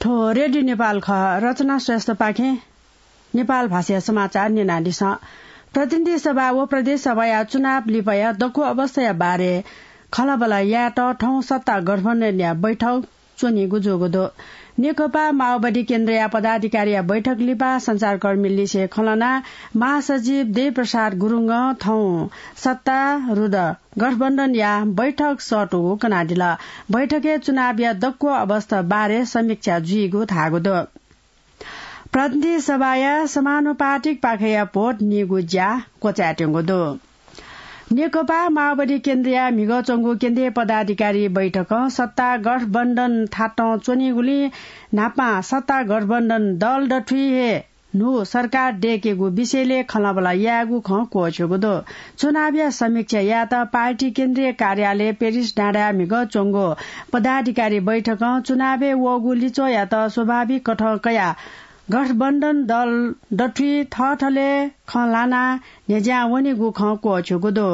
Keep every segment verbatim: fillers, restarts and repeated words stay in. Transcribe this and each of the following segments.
थ्व रेडियो नेपाल खः। रचना श्रेष्ठपाखें नेपाल भाषाया समाचार न्यनादिसँ। प्रतिनिधि सभा व प्रदेश सभाया चुनाव लिपाया दक्व अवस्थाया बारे खँल्हाबल्हा यायेत थौं सत्ता गठबन्धनया बैठक च्वनीगु जूगु दु। नेकपा माओवादी केन्द्रया पदाधिकारीया बैठक लिपा सञ्चारकर्मीलिसे खँ ल्हानाः महासचिव देवप्रसाद गुरुङं थौं सत्तारूढ गठबन्धनया बैठक सःतूगु कनादिल। बैठकय् चुनावया दक्व अवस्था बारे समीक्षा जुइगु धाःगु दु। प्रतिनिधि सभाया समानुपातिक पाखेया भोट नीगु ज्या क्वचायेत्यंगु दु। नेकपा माओवादी केन्द्रया म्हिगः च्वंगु केन्द्रीय पदाधिकारी बैठकं सत्ता गठबन्धन थातं च्वनीगुलिं न्हापां सत्ता गठबन्धन दल दथुइ हे न्हू सरकार दय्केगु विषयलय् खँल्हाबल्हा यायेगु खँ क्वःछ्यूगु दु। चुनावया समीक्षा यायेत पार्टी केन्द्रीय कार्यालय पेरिस डाँडाय् म्हिगः च्वंगु पदाधिकारी बैठकं चुनावय् वःगु लिच्वःयात स्वाभाविक कथं कयाः गठबन्धन दल दथुइ थःथलय् खँ ल्हानाः न्ह्यज्यां वनीगु खँ क्वःछ्यूगु दु।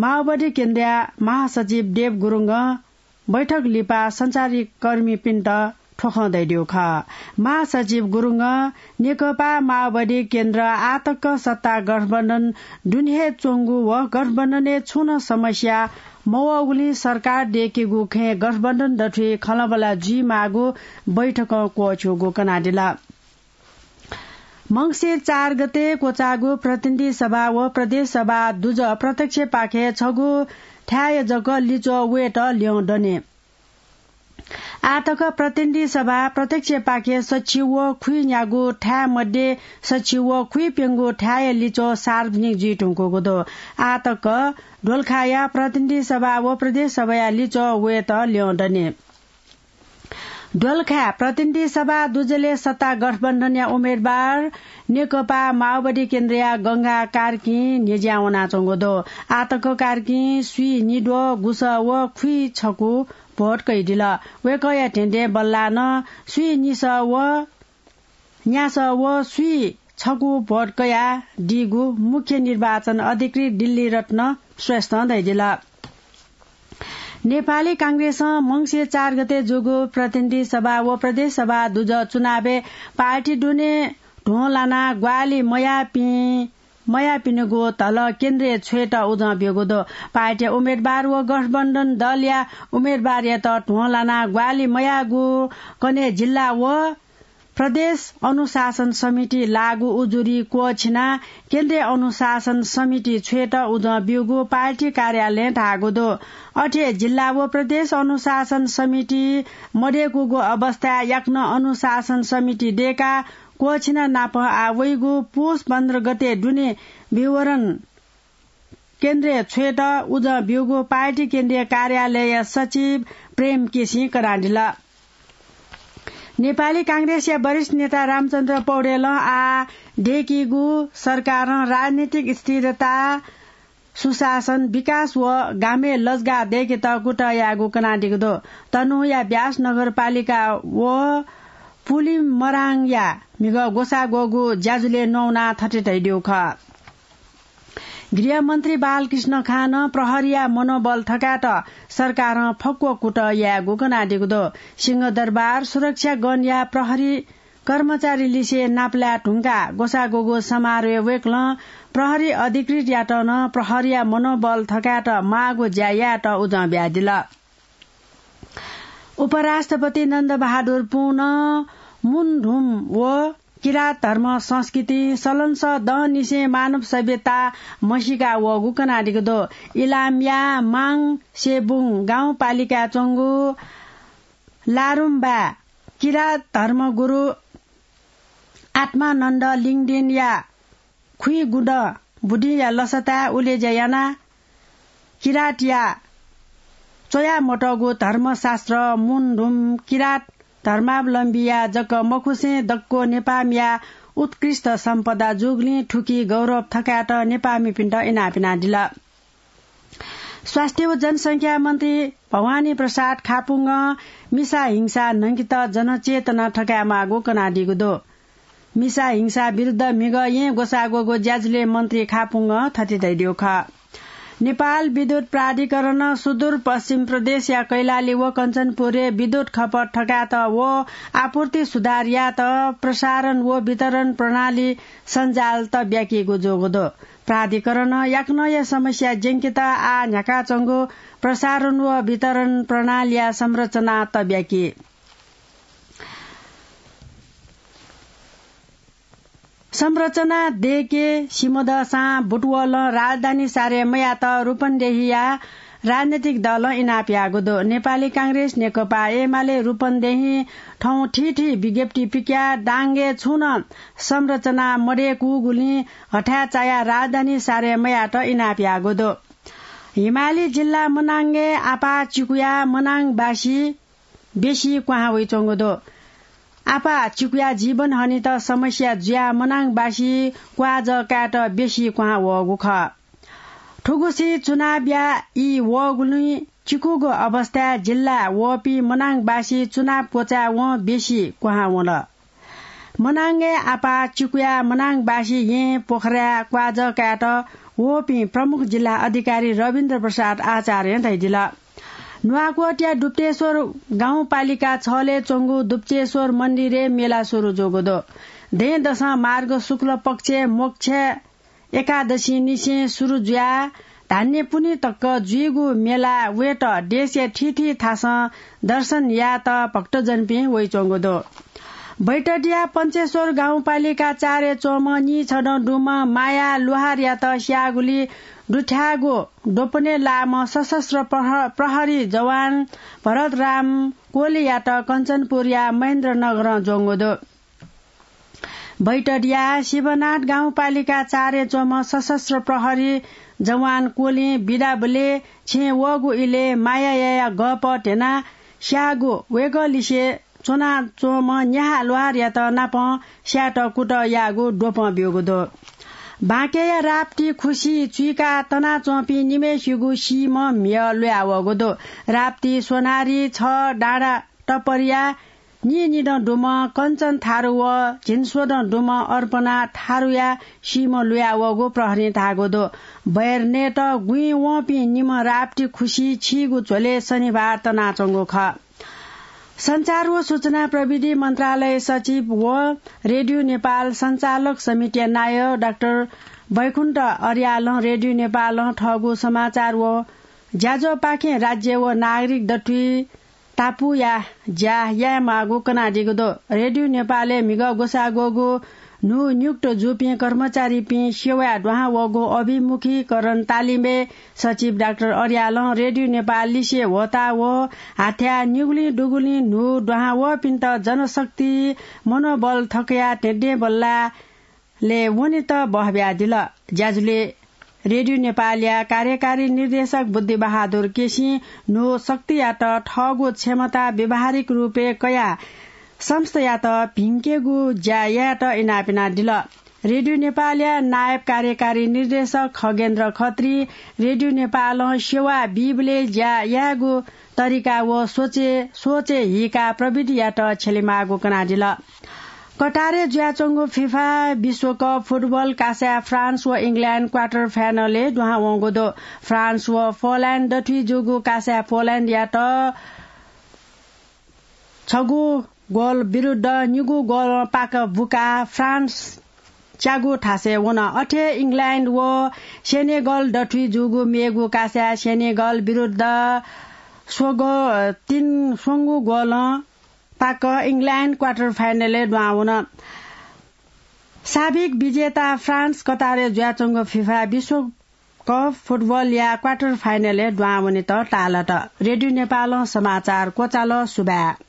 माओवादी केन्द्रया महासचिव देव गुरुङं बैठक लिपा सञ्चारकर्मीपिन्त थ्व खँ धयादीगु खः। महासचिव गुरुङं नेकपा माओवादी केन्द्र आःतक सत्ता गठबन्धन दुने हे च्वंगु व गठबन्धनय् छुं नं समस्या मवःगुलिं सरकार दय्केगु खँय् गठबन्धन दथुइ खँल्हाबल्हा जुइमाःगु बैठकं क्वःछ्यूगु कनादिल। मंसिर चार गते क्वचाःगु प्रतिनिधि सभा व प्रदेश सभा दुजः प्रत्यक्षपाखे छगू थाय् जक लिच्वः वयेत ल्यं दनि। आःतक प्रतिनिधि सभा प्रत्यक्षपाखे सछि व खुइन्यागू थाय् मध्ये सछि व खुइप्यंगू थाय्‌या लिच्वः सार्वजनिक जुइधुंकूगु दु। आःतक दोलखाया प्रतिनिधि सभा व प्रदेश सभाया लिच्वः वयेत ल्यं दनि। दोलखाय् प्रतिनिधि सभा दुजलय् सत्ता गठबन्धनया उम्मेदवार नेकपा माओवादी केन्द्रया गंगा कार्कीं न्ह्यज्यां वनाच्वंगु दु। आःतक कार्कीं स्वीं निद्वः गुसः व खुइछकू भोट कयादिल। वय्‌कःया धेंधें बल्लाः नं स्वीं निसः व न्यासः व स्वीं छकू भोट कयादीगु मुख्य निर्वाचन अधिकृत दिल्ली रत्न श्रेष्ठं धयादिल। नेपाली कांग्रेसं मंसिर चार गते जूगु प्रतिनिधि सभा व प्रदेश सभा दुजः चुनावय् पार्टी दुने ध्वं लानाः ग्वाहालि मयाःपिं, मयाःपिनिगु धलः केन्द्रय् छ्वयेत उजं ब्यूगु दु। पार्टीया उम्मेदवार व गठबन्धन दलया उम्मेदवारयात ध्वं लानाः ग्वाहालि मयाःगु कन्हय् जिल्ला व प्रदेश अनुशासन समिति लागू उजुरी क्वःछिनाः केन्द्रीय अनुशासन समिति छ्वयेत उजं ब्यूगु पार्टी कार्यालयं धाःगु दु। अथे जिल्ला व प्रदेश अनुशासन समिति मदय्कूगु अवस्थाय् याकनं अनुशासन समिति दय्काः क्वःछिना नापं आः वइगु पुस पन्ध्र गते दुने विवरण केन्द्रय् छ्वयेत उजं ब्यूगु पार्टी केन्द्रीय कार्यालयया सचिव प्रेम केसीं कनादिल। नेपाली कांग्रेसया वरिष्ठ नेता रामचन्द्र पौडेलं आः दय्कीगु सरकारं राजनीतिक स्थिरता, सुशासन, विकास व गामय् लजगाः दय्केत कुतः याःगु कनादीगु दु। तनहुँया व्यास नगरपालिका व पुलिमराङया म्हिगः ग्वसाः ग्वःगु ज्याझ्वलय् न्ववानाः थथे धयादीगु खः। गृहमन्त्री बालकृष्ण खानं प्रहरीया मनोबल थकायेत सरकारं फक्व कुतः यायेगु कनादीगु दु। सिंहदरबार सुरक्षा गनया प्रहरी कर्मचारीलिसे नापलाये धुंकाः ग्वसाः ग्वःगु समारोहय् वय्कलं प्रहरी अधिकृतयात नं प्रहरीया मनोबल थकायेत माःगु ज्या यायेत उजं बियादिल। उपराष्ट्रपति नन्दबहादुर पुनं मुनधुम व किरात धर्म संस्कृति सलंसः दँनिसें मानव सभ्यता म्हसीका वःगु कनादीगु दु। इलामया माङ सेबुङ गाउँपालिकाय् च्वंगु लारुम्बा किरात धर्मगुरु आत्मानन्द लिङदेनया खुइगुदँ बुदिंया लसताय् उलेज्या यानाः किरातया च्वयामतःगु धर्मशास्त्र मुनधुम किरात धर्मावलम्बीया जक मखुसें दक्व नेपाःमिया उत्कृष्ट सम्पदा जूगुलिं थुकी गौरव थकायेत नेपाःमिपिन्त इनाप यानादिल। स्वास्थ्य व जनसंख्या मन्त्री भवानी प्रसाद खापुङ्गं मिसा हिंसा न्हंकेत जनचेतना थकायेमाःगु कनादीगु दु। मिसा हिंसा विरुद्ध म्हिगः येँ ग्वसाः ग्वःगु ज्याझ्वलय् मन्त्री खापुङ्गं थथे धयादीगु खः। नेपाल विद्युत प्राधिकरणं सुदूरपश्चिम प्रदेशया कैलाली व कञ्चनपुरय् विद्युत खपत थकायेत व आपूर्ति सुधार यायेत प्रसारण व वितरण प्रणाली सञ्जाल तब्याकीगु जूगु दु। प्राधिकरणं याकनं हे समस्या ज्यंकेत आः न्ह्याकाच्वंगु प्रसारण व वितरण प्रणालीया संरचना तब्याकी। संरचना दयेके सिमदःसां बुटवलं राजधानी सारे मयात रूपन्देहीया राजनैतिक दलं इनाप याःगु दु। नेपाली कांग्रेस, नेकपा एमाले रूपन्देही थौं थीथी विज्ञप्ति पिकयाः दाङय् छुं नं संरचना मदयेकूगुलिं हथाय् चायाः राजधानी सारे मयात इनाप याःगु दु। हिमाली जिल्ला मनाङय् आपाः चिकुया मनाङबासी बेसी क्वहां वइच्वंगु दु। आपाः चिकुया जीवन हनेत समस्या जुयाः मनाङबासी क्वाःजः कायेत बेसी क्वहां वःगु खः। थुगुसी चुनावया ई वःगुलिं चिकुगु अवस्थाय् जिल्ला वःपिं मनाङबासी चुनाव क्वचाय् वं बेसी क्वहां वल। मनाङय् आपाः चिकुया मनाङबासी येँ पोखराय् क्वाःजः कायेत वःपिं प्रमुख जिल्ला अधिकारी रविन्द्र प्रसाद आचार्यं धयादिल। नुवाकोटया दुप्तेश्वर गाउँपालिका छलय् च्वंगु दुप्तेश्वर मन्दिरय् मेला सुरु जूगु दु। दँय्‌दसं मार्ग शुक्ल पक्षय् मोक्ष एकादशीनिसें सुरु जुयाः धान्यपुन्हि तक जुइगु मेला वयेत देशया थीथी थासं दर्शन यायेत भक्तजनपिं वइच्वंगु दु। बैतडिया पञ्चेश्वर गाउँपालिका चारय् च्वंम्ह नीछदँ दुम्ह माया लोहारयात स्याःगुलिइ दुथ्याःगु द्वपनय् लाःम्ह सशस्त्र प्रह-, प्रहरी जवान भरतराम कोलीयात कञ्चनपुरया महेन्द्रनगरं ज्वंगु दु। बैतडिया शिवनाथ गाउँपालिका चारय् च्वंम्ह सशस्त्र प्रहरी जवान कोलिं बिदाबलय् छेँय् वःगु इलय् मायायाया गःपः ध्यनाः स्याःगु वय्‌कःलिसे च्वनाच्वंम्ह न्याहा लोहारयात नापं स्यायेत कुतः याःगु द्वपं ब्यूगु दु। बाँकेया राप्ती खुसि चुइकाः तनाच्वंपिं निम्हय्‌सिगु सीम्ह म्हिगः ल्वयावःगु दु। राप्ती सोनारी छ डाँडा टपरिया नीनिदँ दुम्ह कञ्चन थारु व झिंस्वदँ दुम्ह अर्पणा थारुया सीम्ह लुयावःगु प्रहरीं धाःगु दु। बय्‌र नयेत गुँइ वंपिं निम्ह राप्ती खुसि छीगू झ्वलय् शनिबार तनाच्वंगु खः। सञ्चार व सूचना प्रविधि मन्त्रालय सचिव व रेडियो नेपाल सञ्चालक समितिया नायः डाक्टर बैकुण्ठ अर्यालं रेडियो नेपालं थःगु समाचार व ज्याझ्वःपाखें राज्य व नागरिक दथुइ तापुया ज्या यायेमाःगु कनादीगु दु। रेडियो नेपालय् म्हिगः ग्वसाः ग्वःगु न्हू नियुक्त जूपिं कर्मचारीपिं सेवाय् दुहां वःगु अभिमुखीकरण तालिमय् सचिव डाक्टर अर्यालं रेडियो नेपाल लिसे ह्वःताः व हाथ्याः निगुलिं दुगुलिं न्हू दुहां वःपिन्त जनशक्ति मनोबल थकयाः धेंधें बल्लाः लय् वनेत बहः बियादिल। ज्याझ्वलय् रेडियो नेपालया कार्यकारी निर्देशक बुद्धिबहादुर केसीं न्हू शक्तियात थःगु क्षमता व्यावहारिक रूपय् कयाः संस्थायात भिंकेगु ज्या यायेत इनाप यानादिल। रेडियो नेपालया नायब कार्यकारी निर्देशक खगेन्द्र खत्री रेडियो नेपालं सेवा बीबलय् ज्या यायेगु तरिका व सोचे, सोचे हीकाः प्रविधियात छ्यलेमाःगु कनादिल। कतारय् जुयाच्वंगु फिफा विश्वकप फुटबल कासाय् फ्रान्स व इङ्ल्याण्ड क्वार्टर फाइनलय् दुहां वंगु दु। फ्रान्स व पोल्याण्ड दथुइ जूगु कासाय् पोल्याण्डयात छगू गोल विरुद्ध निगू गोलं पाक बुकाः फ्रान्स च्यागू थासय् वन। अथे इङ्ल्याण्ड व सेनेगल दथुइ जूगु मेगु कासाय् सेनेगल विरुद्ध स्वगो-, तीन, स्वंगू गोलं पाक इङ्ल्याण्ड क्वार्टर फाइनलय् दुहां वन। साबिक विजेता फ्रान्स कतारय् जुयाच्वंगु फिफा विश्वकप फुटबलया क्वार्टर फाइनलय् दुहां वनेत ताःलात। रेडियो नेपालं समाचार क्वचाल। सुभाय्।